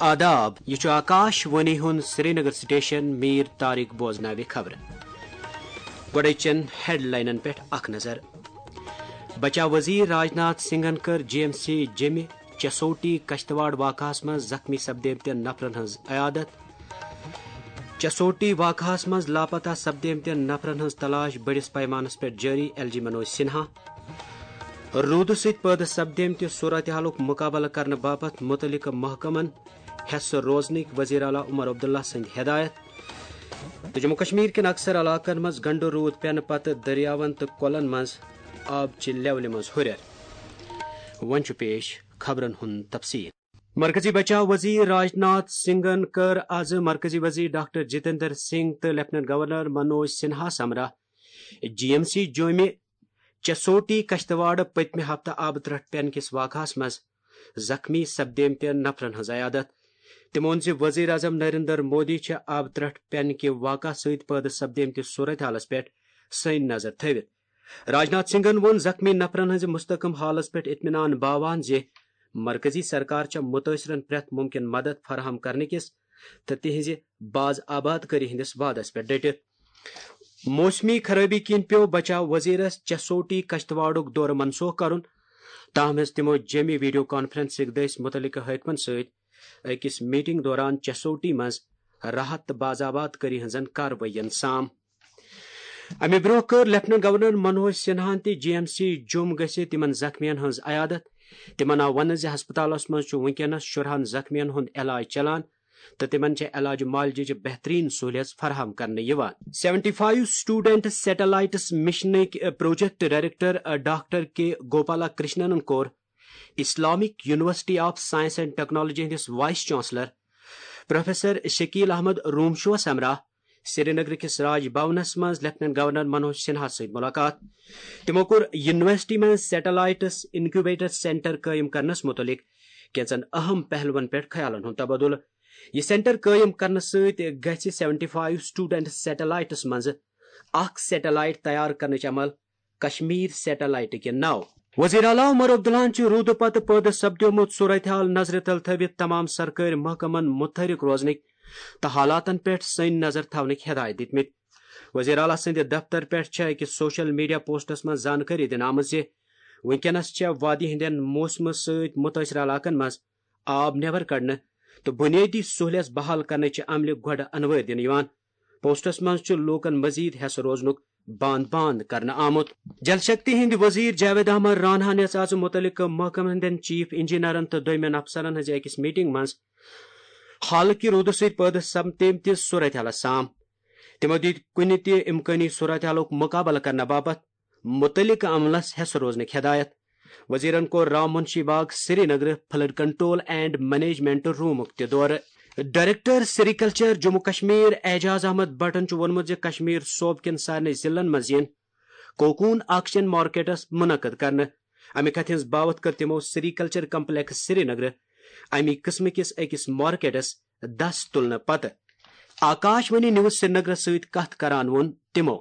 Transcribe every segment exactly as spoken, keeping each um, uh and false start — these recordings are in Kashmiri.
آداب، یہِ چھُ آکاش وانی ہُنٛد سرینگر سٹیشن۔ میر طارق بوزناوِ خبرٕ۔ گۄڈَے چٮ۪ن ہیڈلاینن پٮ۪ٹھ اکھ نظر۔ بچاو وزیر راجناتھ سنگھن کٔر جی ایم سی جیٚمہِ چسوٹی کشتواڑ واقعہس منٛز زخمی سپدیمتٮ۪ن نفرن ہٕنٛز عیادت۔ چسوٹی واقعہس منٛز لاپتہ سپدیمتٮ۪ن نفرن ہٕنٛز تلاش بٔڑِس پیمانس پٮ۪ٹھ جٲری، ایل جی منوج سنہا۔ روٗدٕ سۭتۍ پٲدٕ سپدیمتہِ صورتحالُک مُقابلہٕ کرنہٕ باپتھ مُتعلقہٕ محکمن حصہٕ روزنٕکۍ وزیر اعلیٰ عمر عبداللہ سٕنٛدۍ ہدایت۔ تہٕ جموں کشمیر کٮ۪ن اکثر علاقن منٛز گنڈٕ روٗد پٮ۪نہٕ پتہٕ دٔریاون تہٕ کۄلن منٛز آبہٕ چہِ لیولہِ منٛز ہُرٮ۪ر۔ وۄنۍ چھُ پیش خبرن ہُنٛد تفصیل۔ مرکزی بچاو وزیر راجناتھ سنگھن کٔر آز مرکزی وزیر ڈاکٹر جتیندر سنگھ تہٕ لیفٹیننٹ گورنر منوج سنہا سمرا جی ایم سی جوٚمہِ چسوٹی کشتواڑ پٔتمہِ ہفتہٕ آبہٕ ترٛٹھ پٮ۪نہٕ کِس واقعہس منٛز زخمی سپدیمتٮ۪ن نفرن ہٕنٛز عیادت۔ تٔمۍ ووٚن زِ وزیر اعظم نریندر مودی چھِ آبہٕ ترٛٹھ پٮ۪نہٕ کہِ واقعہٕ سۭتۍ پٲدٕ سپدیمتِس صورتحالس پٮ۪ٹھ سٲنۍ نظر تھٲوِتھ۔ راجناتھ سنگھن ووٚن زخمی نفرن ہٕنٛزِ مستحکم حالس پٮ۪ٹھ اطمینان باوان زِ مرکزی سرکار چھےٚ متٲثرن پرٛٮ۪تھ ممکن مدد فراہم کرنہٕ کِس تہٕ تِہنٛزِ باز آباد کٲری ہٕنٛدِس وعدس پٮ۪ٹھ ڈٔٹِتھ۔ موسمی خرٲبی کِنۍ پیوٚو بچاو وزیرس چسوٹی کشتواڑُک دورٕ منسوخ کرُن، تاہم ہیٚژ تِمو جیٚمہِ ویڈیو کانفرنسٕکۍ دٔسۍ مُتعلقہٕ حٲکمن سۭتۍ أکِس میٹنگ دوران چسوٹی منٛز راحت تہٕ باز آباد کٲری ہٕنٛزن کاروٲیین سام۔ امہِ برونٛہہ کٔر لیفٹیننٹ گورنر منوج سنہاہن تہِ جی ایم سی جوٚم گٔژھِتھ تِمن زخمین ہٕنٛز عیادت۔ تِمن آو وننہٕ زِ ہسپتالس منٛز چھُ وُنکیٚنس شُرہن زخمین ہُنٛد علاج چلان تہٕ تِمن چھےٚ علاج معالجٕچ بہتریٖن سہولیژ فراہم کرنہٕ یِوان۔ سیونٹی فایو سٹوڈنٹ سیٹلائٹس مشنٕکۍ project director doctor K Gopala کرشننن کوٚر Islamic University of Science and Technology ہٕنٛدِس vice chancellor professor Shakil Ahmad رومشوس ہمراہ سرینگر کِس راج بھونس منٛز لیفٹیننٹ گورنر منوج سنہا سۭتۍ ملاقات۔ تِمو کوٚر یونیورسٹی منٛز سیٹلائٹس انکیوبیٹر سینٹر قٲیِم کرنس مُتعلق کینٛژن اہم پہلوَن پٮ۪ٹھ خیالن ہُنٛد تبادلہٕ۔ یہِ سینٹر قٲیِم کرنہٕ سۭتۍ گژھِ سیونٹی فایو سٹوڈنٹ سیٹلائٹس منٛز اکھ سیٹلائٹ تیار کرنٕچ عمل کشمیر سیٹلائٹ کہِ ناو۔ وزیر اعلیٰ عمر عبداللہن چھُ روٗدٕ پتہٕ پٲدٕ سپدیومُت صورتحال نظرِ تل تھٲوِتھ تمام سرکٲرۍ محکمن متحرک روزنٕکۍ تہٕ حالاتن پٮ۪ٹھ سٲنۍ نظر تھاونٕکۍ ہدایت دِتمٕتۍ۔ وزیر اعلیٰ سٕنٛدِ دفتر پٮ۪ٹھ چھےٚ أکِس سوشل میڈیا پوسٹس منٛز زانکٲری دِنہٕ آمٕژ زِ وُنکیٚنس چھےٚ وادی ہٕنٛدٮ۪ن موسمہٕ سۭتۍ مُتٲثرٕ علاقن منٛز آب نٮ۪بر کڑنہٕ تہٕ بُنیٲدی سہولیژ بحال کرنٕچہِ عملہِ گۄڈٕ انوٲرۍ دِنہٕ یِوان۔ پوسٹس منٛز چھُ لوٗکن مزید حصہٕ روزنُک باند باند کرنہٕ آمُت۔ جل شکتی ہٕنٛدۍ وزیر جاوید احمد رانہن یژھ آز مُتعلقہٕ محکمن ہٕنٛدٮ۪ن چیف انجینئرن تہٕ دوٚیمٮ۪ن افسرن ہٕنٛزِ أکِس میٹنگ منٛز حالہٕ کہِ روٗدٕ سۭتۍ پٲدٕ سپدیمتِس صورتحالس سام۔ تِمو دِتۍ کُنہِ تہِ امکٲنی صورتحالُک مُقابلہٕ کرنہٕ باپتھ مُتعلقہٕ عملس حصہٕ روزنٕکۍ ہدایت۔ وزیرن کوٚر Ram Munshi Bagh Srinagar flood control and management رومُک تہِ دورٕ۔ ڈائریکٹر سیریکلچر جموں کشمیر اعجاز احمد بٹن چھُ ووٚنمُت زِ کشمیر صوبہٕ کٮ۪ن سارنٕے ضلعن منٛز یِن کوکون آکشن مارکیٹس منعقد کرنہٕ۔ امہِ کتھِ ہٕنٛز باوتھ کٔر تِمو سیریکلچر کمپلیکس سرینگر امی قٕسمہٕ کِس أکِس مارکیٹس دس تُلنہٕ پتہٕ۔ آکاش وانی نیوز سرینگرس سۭتۍ کتھ کران ووٚن تِمو۔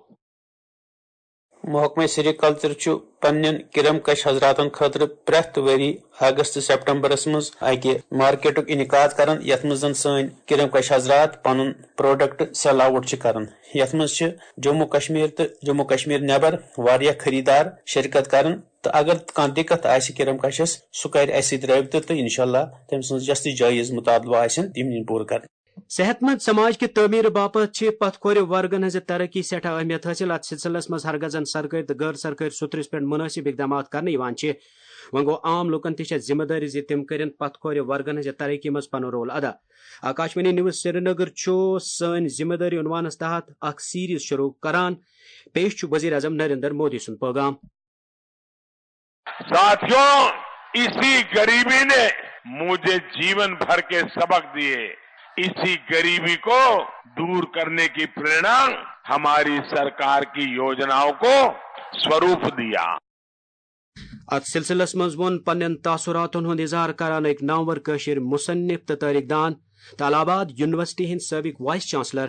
محکمہ سیریکلچر چھُ پننٮ۪ن کرم کش حضراتن خٲطرٕ پرٛٮ۪تھ ؤری اگست سپٹمبرس منٛز اکہِ مارکیٹُک انعقاد کران، یتھ منٛز زن سٲنۍ کرم کش حضرات پنُن پروڈکٹ سیل آوٹ چھِ کران۔ یتھ منٛز چھِ جموں کشمیر تہٕ جموں کشمیر نٮ۪بر واریاہ خریدار شرکت کران، تہٕ اگر کانٛہہ دِقت آسہِ کرم کشس، سُہ کرِ اسہِ سۭتۍ رٲبطہٕ، تہٕ انشاءاللہ تٔمۍ سٕنٛز یۄس تہِ جٲیز مطالبہٕ آسن، تِم یِن پوٗرٕ کرنہٕ۔ صحت مند سماج کہِ تعمیٖر باپتھ چھِ پتھ کھورِ ورگن ہٕنٛزِ ترقی سٮ۪ٹھاہ اہمیت حٲصِل۔ اتھ سلسلس منٛز ہرگزن سرکٲرۍ تہٕ غٲر سرکٲرۍ سُترِس پٮ۪ٹھ مُنٲسِب اقدامات کرنہٕ یِوان چھِ۔ وۄنۍ گوٚو، عام لوٗکن تہِ چھےٚ ذمہٕ دٲری زِ تِم کٔرِن پتھ کھورِ ورگن ہٕنٛزِ ترقی منٛز پنُن رول ادا۔ آکاشوانی نیوز سرینگر چھُ سٲنۍ ذمہٕ دٲری عنوانس تحت اکھ سیریز شروع کران۔ پیش چھُ وزیر اعظم نریندر مودی سُنٛد پیغام۔ ساتھیوں، اسی غریبی نے مجھے جیون بھر کے سبق دیے۔ اسی غریبی کو دور کرنے کی प्रेरणा हमारी सरकार की योजनाओं को स्वरूप दिया। اتھ سلسلس منٛز ووٚن پننٮ۪ن تاثراتن ہُنٛد اظہار کران أکۍ نامور کٲشِر مصنف تہٕ تٲریخ دان تہٕ الہ آباد یونیورسٹی ہٕنٛدۍ سٲبق vice chancellor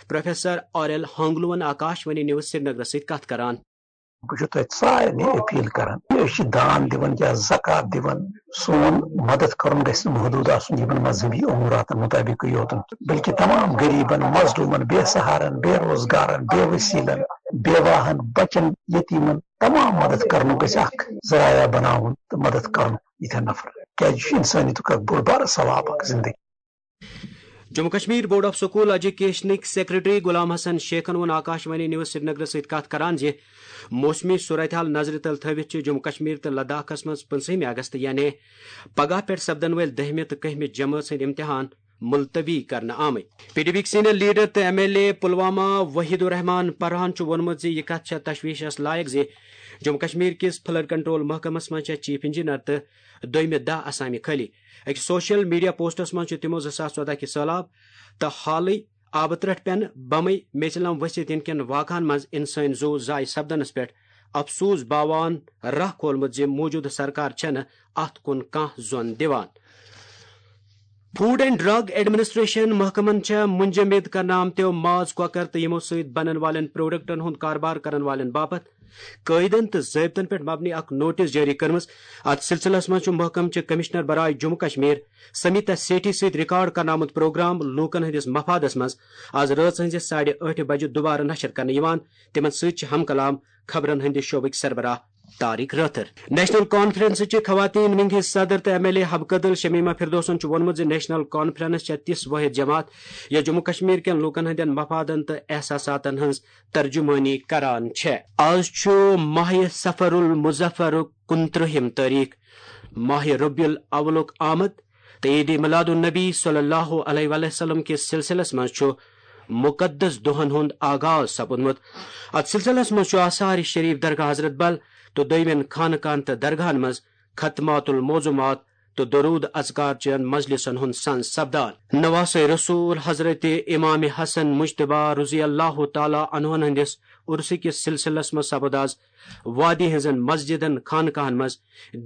professor R L ہانگلوَن آکاشوانی نیوز سرینگرس سۭتۍ کتھ کران۔ بہٕ چھُس تۄہہِ سارنٕے اپیل کران، أسۍ چھِ دان دِوان یا زکوٰۃ دِوان، سون مدد کرُن گژھِ نہٕ محدوٗد آسُن یِمن مذہبی اموراتن مطٲبقٕے یوتن، بلکہِ تمام غریبن، مظلومن، بے سہارن، بے روزگارن، بے وسیلن، بیواہن، بچن، یتیمن، تمام مدد کرنُک گژھِ اکھ ذرایعہ بناوُن تہٕ مدد کرُن یِتھٮ۪ن نفرن، کیازِ یہِ چھُ انسٲنیتُک اکھ بوٚڑ بارٕ ثواب اکھ زندگی۔ Jammu Kashmir board of school ایجوکیشنٕکۍ سیکرٹری غلام حسن شیخن ووٚن آکاشوانی نیوز سرینگرس سۭتۍ کتھ کران زِ موسمی صورتحال نظرِ تل تھٲوِتھ چھِ جموں کشمیر تہٕ لداخس منٛز پٕنٛژٕہمہِ اگست یعنی پگاہ پٮ۪ٹھ سپدن وٲلۍ دٔہمہِ تہٕ کٔہمہِ جمٲژ ہٕنٛدۍ امتحان ملتوی کرنہٕ آمٕتۍ۔ پی ڈی بی یِکۍ سینئر لیڈر تہٕ M L A Pulwama Waheed Ur Rehman پرہان چھُ ووٚنمُت زِ یہِ کتھ چھےٚ تشویشس لایق زِ جموں کشمیر کِس فلڈ کنٹرول محکمس منٛز چھےٚ چیف انجینئر تہٕ دوٚیمہِ داہ اسامہِ خٲلی۔ أکِس سوشل میڈیا پوسٹس منٛز چھُ تِمو زٕ ساس ژۄدہ کہِ سٔہلاب تہٕ حالٕے آبہٕ ترٛٹھ پٮ۪نہٕ بمٕے میژِ لم ؤسِتھ یِنہٕ کٮ۪ن واقعن منٛز انسٲنۍ زُو ضایع سپدنس پٮ۪ٹھ افسوس باوان راہ کھولمُت زِ موجودٕ سرکار چھنہٕ اتھ کُن کانٛہہ زۄن دِوان۔ فوڈ اینڈ ڈرگ ایڈمنسٹریشن محکمن چھےٚ منجمد کرنہٕ آمتیو ماز، کۄکر تہٕ یِمو سۭتۍ بنن والٮ۪ن پروڈکٹن ہُنٛد کاربار کرن والٮ۪ن باپتھ قٲعدن تہٕ ضٲبطن پٮ۪ٹھ مبنی اکھ نوٹس جٲری کٔرمٕژ۔ اتھ سلسلس منٛز چھُ محکمہٕ چہِ کمشنر برائے جموں کشمیر سمیتا سیٹھی سۭتۍ ریکارڈ کرنہٕ آمُت پروگرام لوٗکن ہٕنٛدِس مفادس منٛز آز رٲژ ہٕنٛزِ ساڑِ ٲٹھِ بجہِ دوبارٕ نشر کرنہٕ یِوان۔ تِمن سۭتۍ چھِ ہم کلام خبرن ہٕنٛدِ شعبٕکۍ سربراہ طارق رٲتھر۔ نیشنل کانفرنسٕچہِ خواتین ونگہِ ہٕنٛز صدر تہٕ ایم ایل اے حبہٕ کدل شمیمہ فردوسن چھُ ووٚنمُت زِ نیشنل کانفرنس چھےٚ تِژھ وٲحد جماعت یۄس جموں کشمیر کٮ۪ن لوٗکن ہٕنٛدٮ۪ن مفادن تہٕ احساساتن ہٕنٛز ترجمٲنی کران چھےٚ۔ آز چھُ ماہِ صفر المظفرُک کُنترٕہِم تٲریخ، ماہِ ربیع الاولُک آمد تہٕ عید میلاد النبی صلی اللہ علیہ وآلہ وسلم کِس سلسلس منٛز چھُ مقدس دۄہن ہُنٛد آغاز سپُدمُت۔ اتھ سلسلس منٛز چھُ آثار شریف درگاہ حضرت بل تہٕ دویمٮ۪ن خانقاہن تہٕ درگاہن منٛز ختمات المعظمات تہٕ درود اذکار چٮ۪ن مجلسن ہُنٛد سنز سپدان۔ نواسہ رسول حضرت امام حسن مجتبیٰ رضی اللہ تعالیٰ عنہن ہٕنٛدِس عرسہٕ کِس سلسلس منٛز سپُد آز وادی ہٕنٛزن مسجدن خانقاہن منٛز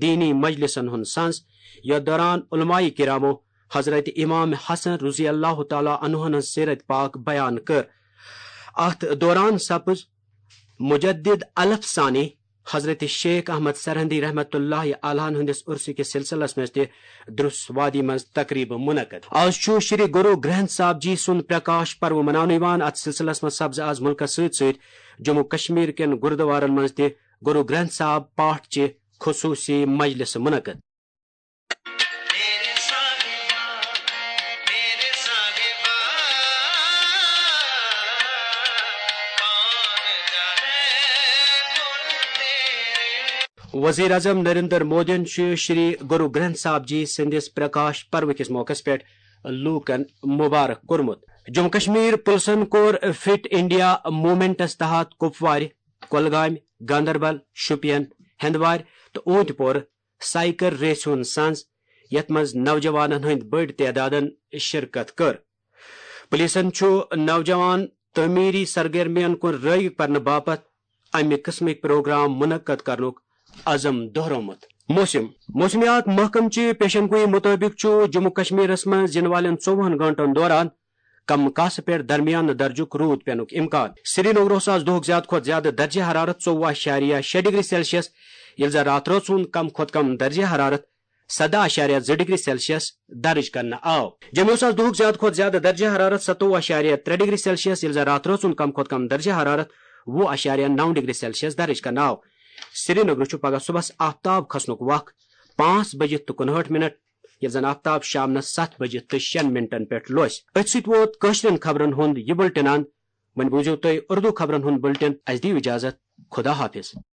دینی مجلسن ہُنٛد سنز، یتھ دوران علماء کرامو حضرت امام حسن رضی اللہ تعالیٰ عنہن ہٕنٛز سیرت پاک بیان کٔر۔ اتھ دوران سپٕز مجدد الف ثانی حضرت شیخ احمد سرہندی رحمت اللہ علیہ ہٕنٛدِس عرسہٕ کِس سلسلس منٛز تہِ درس وادی منٛز تقریبہٕ منعقد۔ آز چھُ شری گرو گرنتھ صاحب جی سُنٛد پرکاش پرو مناونہٕ یِوان۔ اتھ سلسلس منٛز سپزٕ آز مُلکس سۭتۍ سۭتۍ جموں کشمیر کٮ۪ن گردوارن منٛز تہِ گرو گرنتھ صاحب پاٹھ چہِ خصوصی مجلسہٕ منعقد۔ وزیر اعظم نریندر مودیَن چھُ شری گرو گرنتھ صاحب جی سٕنٛدِس پرکاش پرو کِس موقعس پٮ۪ٹھ لوٗکَن مبارک کوٚرمُت۔ جموں کشمیر پُلسَن کوٚر فٹ انڈیا موومنٹَس تحت کپوارِ، کۄلگامہِ، گاندربل، شوپین، ہندوارِ تہٕ اونتہِ پورٕ سائیکل ریسہِ ہُنٛد سنز، یَتھ منٛز نوجوانَن ہٕنٛدۍ بٔڑۍ تعدادَن شرکت کٔر۔ پُلیٖسَن چھُ نوجوان تعمیٖری سرگرمیَن کُن رٲغب کرنہٕ باپتھ اَمہِ قٕسمٕکۍ پروگرام منعقد کرنُک عزم دۄہرومُت۔ موسم۔ موسمیات محکمہٕ چہِ پیشن گوئی مُطٲبِق چھُ جموں کشمیرَس منٛز یِنہٕ والٮ۪ن ژوٚوُہن گٲنٛٹَن دوران کم کاسہٕ پٮ۪ٹھ درمیانہٕ درجُک روٗد پینُک امکان۔ سری نگرَس آز دۄہُک زیادٕ کھۄتہٕ زیادٕ درجہ حرارت ژوٚوُہ اعشاریہ شےٚ ڈگری سیلسیس، ییٚلہِ زن راتہٕ رٲژ ہُنٛد کم کھۄتہٕ کم درجہ حرارت سدہ اعشاریہ زٕ ڈگری سیلسیس درج کرنہٕ آو۔ جموں آز دۄہُک زیادٕ کھۄتہٕ زیادٕ درجہ حرارت ستووُہ اعشاریہ ترٛےٚ ڈگری سیلسیس، ییٚلہِ زن راتہٕ رٲژ ہُنٛد کم کھۄتہٕ کم درجہ حرارت وُہ اعشاریہ نو ڈگری سیلسیس درج کرنہٕ آو۔ سری نگرٕ چھُ پگہہ صبحس آفتاب کھسنُک وق پانٛژھ بجہِ تہٕ کُنہٲٹھ منٹ، ییٚلہِ زن آفتاب شامنس ستھ بجہِ تہٕ شیٚن منٹن پٮ۪ٹھ لوسہِ۔ أتھۍ سۭتۍ ووت کٲشرٮ۪ن خبرن ہُنٛد یہِ بُلٹن اند۔ وۄنۍ بوٗزِو تُہۍ اردو خبرن ہُنٛد بُلٹن۔ اسہِ دِیِو اجازت۔ خدا حافظ۔